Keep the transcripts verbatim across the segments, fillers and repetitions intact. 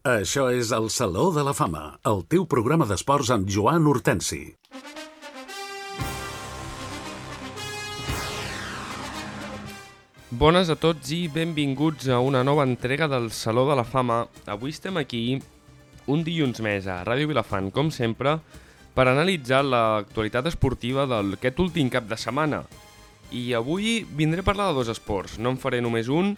Això és el Saló de la Fama, el teu programa d'esports amb Joan Hortensi. Bones a tots i benvinguts a una nova entrega del Saló de la Fama. Avui estem aquí, un dilluns més a Ràdio Vilafant, com sempre, per analitzar l'actualitat esportiva d'aquest últim cap de setmana. I avui vindré a parlar de dos esports, no en faré només un,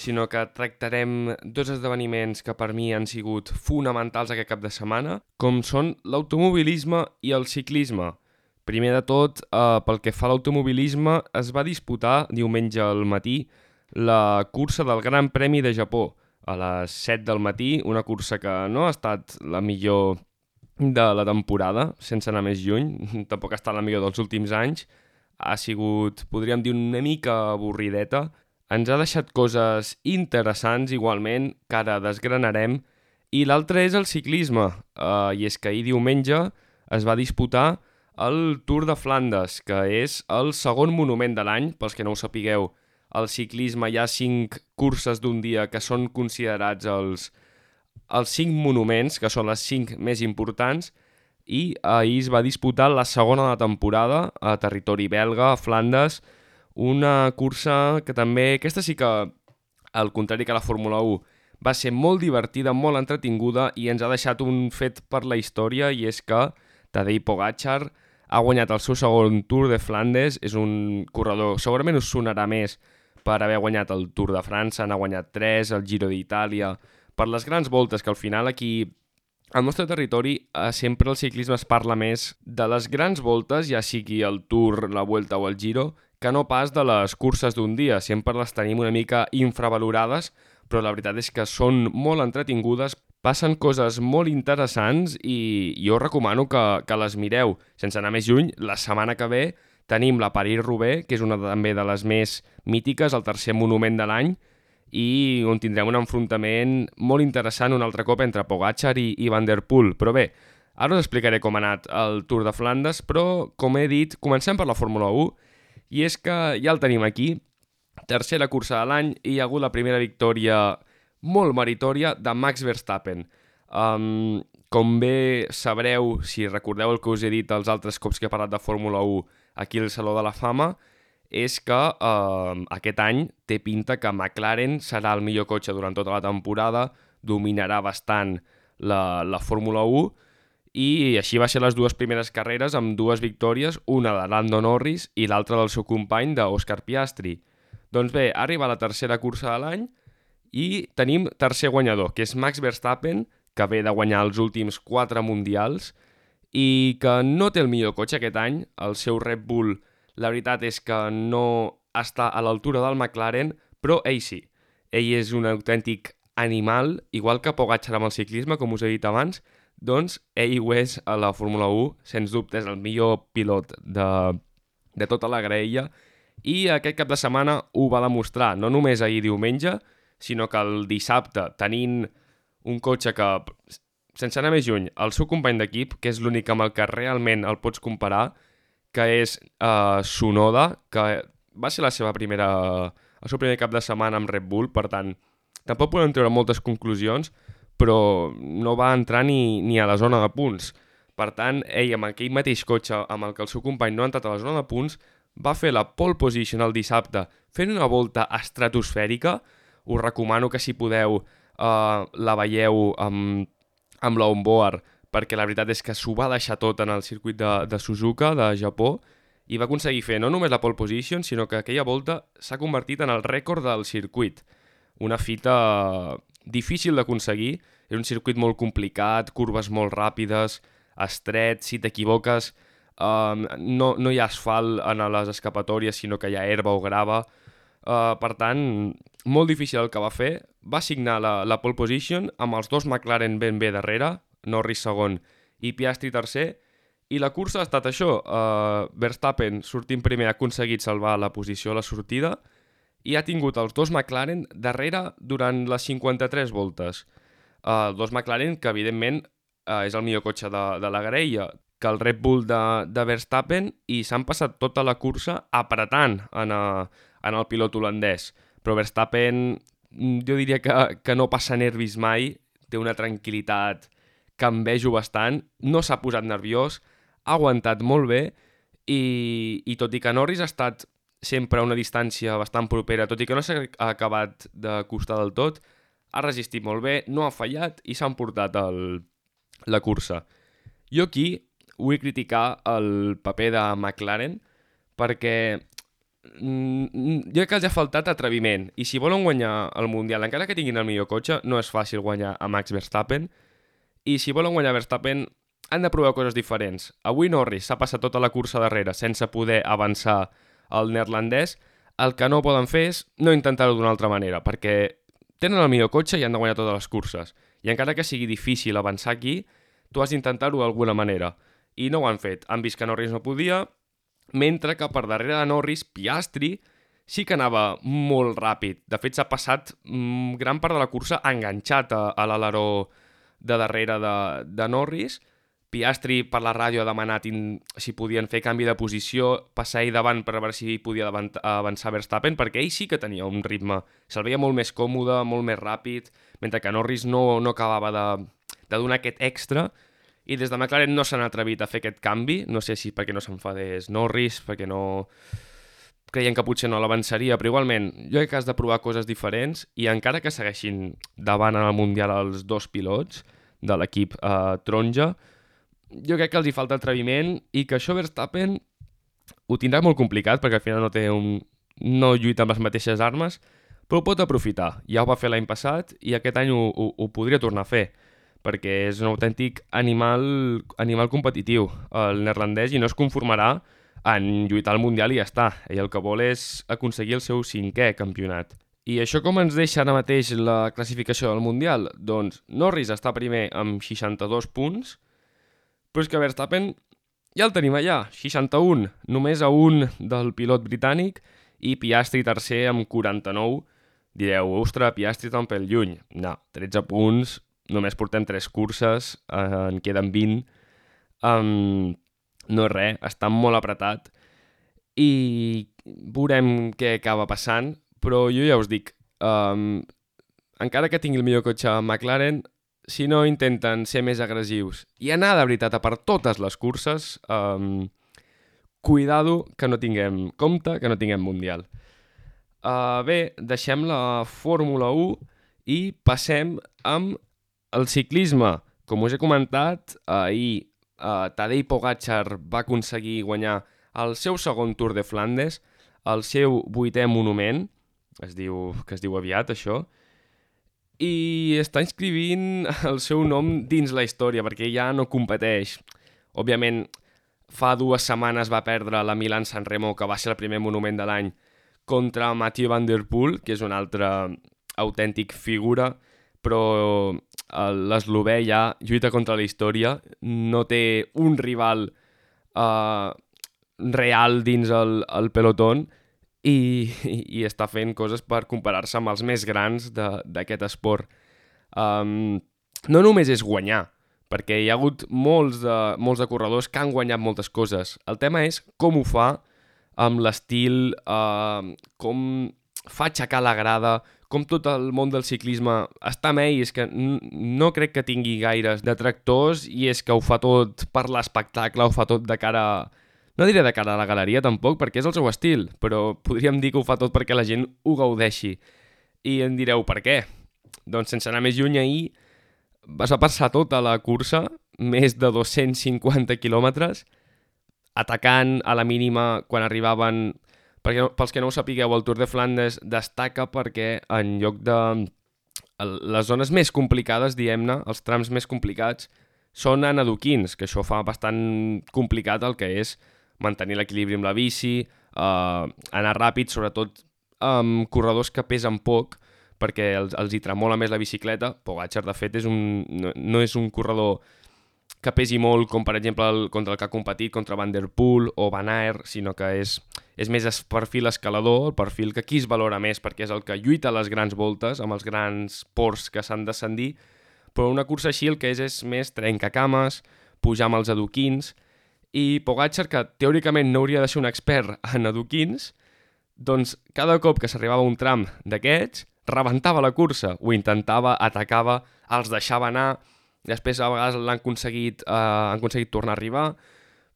sinó que tractarem dos esdeveniments que per mi han sigut fonamentals aquest cap de setmana, com són l'automobilisme i el ciclisme. Primer de tot, eh, pel que fa a l'automobilisme, es va disputar diumenge al matí la cursa del Gran Premi de Japó, a les set del matí, una cursa que no ha estat la millor de la temporada, sense anar més lluny, tampoc ha estat la millor dels últims anys, ha sigut, podríem dir, una mica avorrideta. Ens ha deixat coses interessants, igualment, que ara desgranarem. I l'altre és el ciclisme, uh, i és que ahir diumenge es va disputar el Tour de Flandes, que és el segon monument de l'any. Pels que no ho sapigueu, al ciclisme hi ha cinc curses d'un dia que són considerats els, els cinc monuments, que són les cinc més importants, i ahir es va disputar la segona de la temporada a territori belga, a Flandes, una cursa que també, aquesta sí que, al contrari que la Fórmula u, va ser molt divertida, molt entretinguda i ens ha deixat un fet per la història, i és que Tadej Pogačar ha guanyat el seu segon Tour de Flandes. És un corredor, segurament us sonarà més per haver guanyat el Tour de França, n'ha guanyat tres, el Giro d'Itàlia, per les grans voltes, que al final aquí al nostre territori eh, sempre el ciclisme es parla més de les grans voltes, ja sigui el Tour, la Vuelta o el Giro, que no pas de les curses d'un dia. Sempre les tenim una mica infravalorades, però la veritat és que són molt entretingudes, passen coses molt interessants i jo recomano que, que les mireu. Sense anar més lluny, la setmana que ve tenim la París-Roubaix, que és una també de les més mítiques, el tercer monument de l'any, i on tindrem un enfrontament molt interessant un altre cop entre Pogačar i, i Van der Poel. Però bé, ara us explicaré com ha anat el Tour de Flandes, però, com he dit, comencem per la Fórmula u, i és que ja el tenim aquí, tercera cursa de l'any, i hi ha hagut la primera victòria molt meritòria de Max Verstappen. Um, com bé sabreu, si recordeu el que us he dit els altres cops que he parlat de Fórmula u aquí al Saló de la Fama, és que uh, aquest any té pinta que McLaren serà el millor cotxe durant tota la temporada, dominarà bastant la, la Fórmula u, i així va ser les dues primeres carreres amb dues victòries, una de Lando Norris i l'altra del seu company, d'Òscar Piastri. Doncs bé, ha arribat la tercera cursa de l'any i tenim tercer guanyador, que és Max Verstappen, que ve de guanyar els últims quatre mundials i que no té el millor cotxe aquest any. El seu Red Bull, la veritat és que no està a l'altura del McLaren, però ell sí. Ell és un autèntic animal, igual que Pogačar amb el ciclisme, com us he dit abans. Doncs ell ho és a la Fórmula u, sens dubte és el millor pilot de, de tota la graella, i aquest cap de setmana ho va demostrar, no només ahir diumenge, sinó que el dissabte, tenint un cotxe que, sense anar més lluny, el seu company d'equip, que és l'únic amb el que realment el pots comparar, que és uh, Tsunoda, que va ser la seva primera, el seu primer cap de setmana amb Red Bull, per tant, tampoc podem treure moltes conclusions, però no va entrar ni, ni a la zona de punts. Per tant, ell amb aquell mateix cotxe amb el que el seu company no ha entrat a la zona de punts, va fer la pole position el dissabte fent una volta estratosfèrica. Us recomano que si podeu eh, la veieu amb, amb l'onboard, perquè la veritat és que s'ho va deixar tot en el circuit de, de Suzuka, de Japó, i va aconseguir fer no només la pole position, sinó que aquella volta s'ha convertit en el rècord del circuit. Una fita difícil d'aconseguir, és un circuit molt complicat, curves molt ràpides, estret, si t'equivoques, um, no, no hi ha asfalt en les escapatòries, sinó que hi ha herba o grava. Uh, per tant, molt difícil el que va fer. Va signar la, la pole position amb els dos McLaren ben bé darrere, Norris segon i Piastri tercer, i la cursa ha estat això. Uh, Verstappen, sortint primer, ha aconseguit salvar la posició a la sortida, i ha tingut els dos McLaren darrere durant les cinquanta-tres voltes. Uh, dos McLaren que, evidentment, uh, és el millor cotxe de, de la graella, que el Red Bull de, de Verstappen, i s'han passat tota la cursa apretant en, a, en el pilot holandès. Però Verstappen, jo diria que, que no passa nervis mai, té una tranquil·litat que envejo bastant, no s'ha posat nerviós, ha aguantat molt bé i, i tot i que Norris ha estat sempre a una distància bastant propera, tot i que no s'ha acabat d'acostar del tot, ha resistit molt bé, no ha fallat i s'ha emportat el, la cursa. Jo aquí vull criticar el paper de McLaren perquè mm, jo crec que els ha faltat atreviment i si volen guanyar el Mundial, encara que tinguin el millor cotxe, no és fàcil guanyar a Max Verstappen i si volen guanyar Verstappen han de provar coses diferents. Avui Norris s'ha passat tota la cursa darrere sense poder avançar el neerlandès. El que no poden fer és no intentar-ho d'una altra manera, perquè tenen el millor cotxe i han de guanyar totes les curses. I encara que sigui difícil avançar aquí, tu has d'intentar-ho d'alguna manera. I no ho han fet. Han vist que Norris no podia, mentre que per darrere de Norris, Piastri sí que anava molt ràpid. De fet, s'ha passat mm, gran part de la cursa enganxat a, a l'aleró de darrere de, de Norris. Piastri per la ràdio ha demanat in, si podien fer canvi de posició, passar ell davant per veure si podia avançar Verstappen, perquè ell sí que tenia un ritme. Se'l veia molt més còmode, molt més ràpid, mentre que Norris no, no acabava de, de donar aquest extra. I des de McLaren no s'han atrevit a fer aquest canvi. No sé si perquè no s'enfadés Norris, perquè no creien que potser no l'avançaria, però igualment jo crec que has de provar coses diferents i encara que segueixin davant en el Mundial els dos pilots de l'equip eh, taronja, jo crec que els hi falta atreviment i que això Verstappen ho tindrà molt complicat perquè al final no té un... no lluita amb les mateixes armes, però ho pot aprofitar. Ja ho va fer l'any passat i aquest any ho, ho, ho podria tornar a fer perquè és un autèntic animal, animal competitiu el neerlandès i no es conformarà en lluitar al Mundial i ja està. Ell el que vol és aconseguir el seu cinquè campionat. I això com ens deixa ara mateix la classificació del Mundial? Doncs Norris està primer amb seixanta-dos punts, però és que Verstappen ja el tenim allà, seixanta-un, només a un del pilot britànic i Piastri tercer amb quaranta-nou. Direu, ostres, Piastri està un pèl lluny. No, tretze punts, només portem tres curses, eh, en queden vint. Um, no és res, està molt apretat i veurem què acaba passant, però jo ja us dic, um, encara que tingui el millor cotxe a McLaren, si no intenten ser més agressius i anar de veritat a per totes les curses, um, cuidado que no tinguem compte, que no tinguem Mundial. Uh, bé, deixem la Fórmula u i passem amb el ciclisme. Com us he comentat, ahir uh, Tadej Pogačar va aconseguir guanyar el seu segon Tour de Flandes, el seu vuitè monument, es diu, que es diu aviat això, i està inscrivint el seu nom dins la història, perquè ja no competeix. Òbviament, fa dues setmanes va perdre la Milán-San Remo, que va ser el primer monument de l'any, contra Mathieu Van Der Poel, que és un altre autèntic figura, però l'eslovè ja lluita contra la història, no té un rival uh, real dins el, el pelotón, I, i, i està fent coses per comparar-se amb els més grans d'aquest esport. Um, no només és guanyar, perquè hi ha hagut molts de, molts de corredors que han guanyat moltes coses. El tema és com ho fa amb l'estil, uh, com fa aixecar la grada, com tot el món del ciclisme està amb ell, és que no crec que tingui gaires detractors i és que ho fa tot per l'espectacle, ho fa tot de cara a... No diré de cara a la galeria tampoc, perquè és el seu estil, però podríem dir que ho fa tot perquè la gent ho gaudeixi. I em direu, per què? Doncs sense anar més lluny, ahir vas a passar tota la cursa, més de dos-cents cinquanta quilòmetres, atacant a la mínima quan arribaven... Perquè, pels que no ho sapigueu, el Tour de Flandes destaca perquè en lloc de... Les zones més complicades, diguem-ne, els trams més complicats, són en adoquins, que això fa bastant complicat el que és mantenir l'equilibri amb la bici, eh, anar ràpid, sobretot amb corredors que pesen poc, perquè els, els hi tremola més la bicicleta. Pogačar, de fet, és un, no, no és un corredor que pesi molt, com per exemple el, contra el que ha competit, contra Van Der Poel o Van Aert, sinó que és, és més es perfil escalador, el perfil que aquí es valora més, perquè és el que lluita a les grans voltes, amb els grans ports que s'han d'ascendir, però una cursa així el que és és més trencacames, pujar amb els adoquins, i Pogačar, que teòricament no hauria de ser un expert en adoquins, doncs cada cop que s'arribava a un tram d'aquests, rebentava la cursa, ho intentava, atacava, els deixava anar, després a vegades l'han aconseguit, eh, han aconseguit tornar a arribar,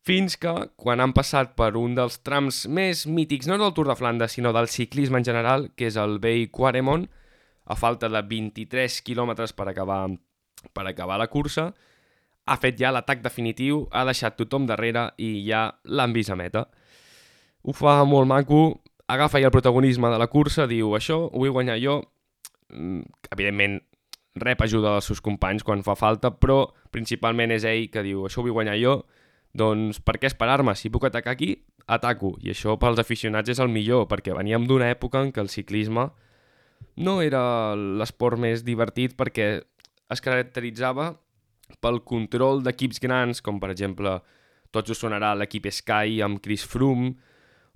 fins que, quan han passat per un dels trams més mítics, no del Tour de Flandes, sinó del ciclisme en general, que és el vell Quaremont, a falta de vint-i-tres quilòmetres per acabar, per acabar la cursa, ha fet ja l'atac definitiu, ha deixat tothom darrere i ja l'han vist a meta. Ho fa molt maco, agafa ja el protagonisme de la cursa, diu això ho vull guanyar jo, evidentment rep ajuda dels seus companys quan fa falta, però principalment és ell que diu això ho vull guanyar jo, doncs per què esperar-me? Si puc atacar aquí, ataco. I això pels aficionats és el millor, perquè veníem d'una època en què el ciclisme no era l'esport més divertit perquè es caracteritzava pel control d'equips grans, com per exemple, tots us sonarà l'equip Sky amb Chris Froome,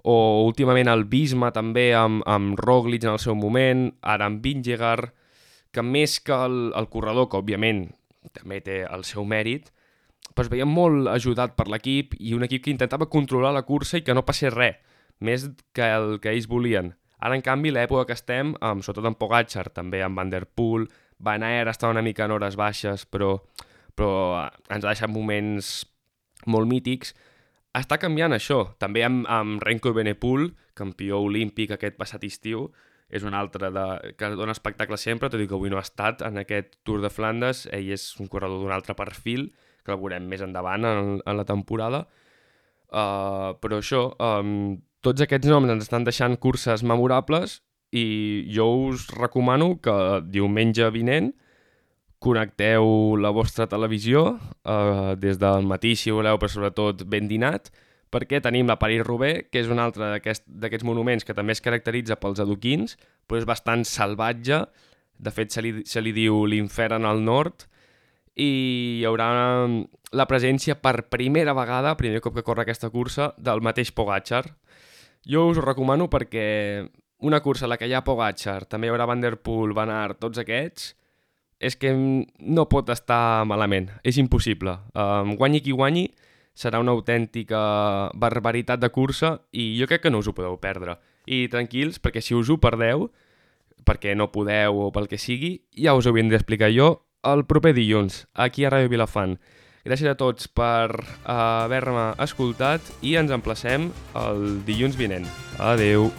o últimament el Visma també amb, amb Roglic en el seu moment, ara amb Vingegaard, que més que el, el corredor, que òbviament també té el seu mèrit, però es veia molt ajudat per l'equip i un equip que intentava controlar la cursa i que no passés res, més que el que ells volien. Ara, en canvi, l'època que estem, amb, sobretot amb Pogačar, també amb Van der Poel, Van Aert està una mica en hores baixes, però, però ens ha deixat moments molt mítics, està canviant això. També amb, amb Remco Evenepoel, campió olímpic aquest passat estiu, és un altre de, que dona espectacle sempre, tot i que avui no ha estat en aquest Tour de Flandes. Ell és un corredor d'un altre perfil, que el veurem més endavant en, en la temporada. Uh, però això, um, tots aquests noms ens estan deixant curses memorables i jo us recomano que diumenge vinent connecteu la vostra televisió uh, des del matí, si voleu, però sobretot ben dinat, perquè tenim la París-Roubaix, que és un altre d'aquests monuments que també es caracteritza pels adoquins, però és bastant salvatge. De fet, se li, se li diu l'infern al nord, i hi haurà la presència per primera vegada, primer cop que corre aquesta cursa, del mateix Pogačar. Jo us ho recomano perquè una cursa a la que hi ha Pogačar, també hi haurà Van der Poel, Van Aert, tots aquests, és que no pot estar malament, és impossible. Um, guanyi qui guanyi, serà una autèntica barbaritat de cursa i jo crec que no us ho podeu perdre. I tranquils, perquè si us ho perdeu, perquè no podeu o pel que sigui, ja us ho vindré a explicar jo el proper dilluns, aquí a Ràdio Vilafant. Gràcies a tots per uh, haver-me escoltat i ens emplacem el dilluns vinent. Adeu!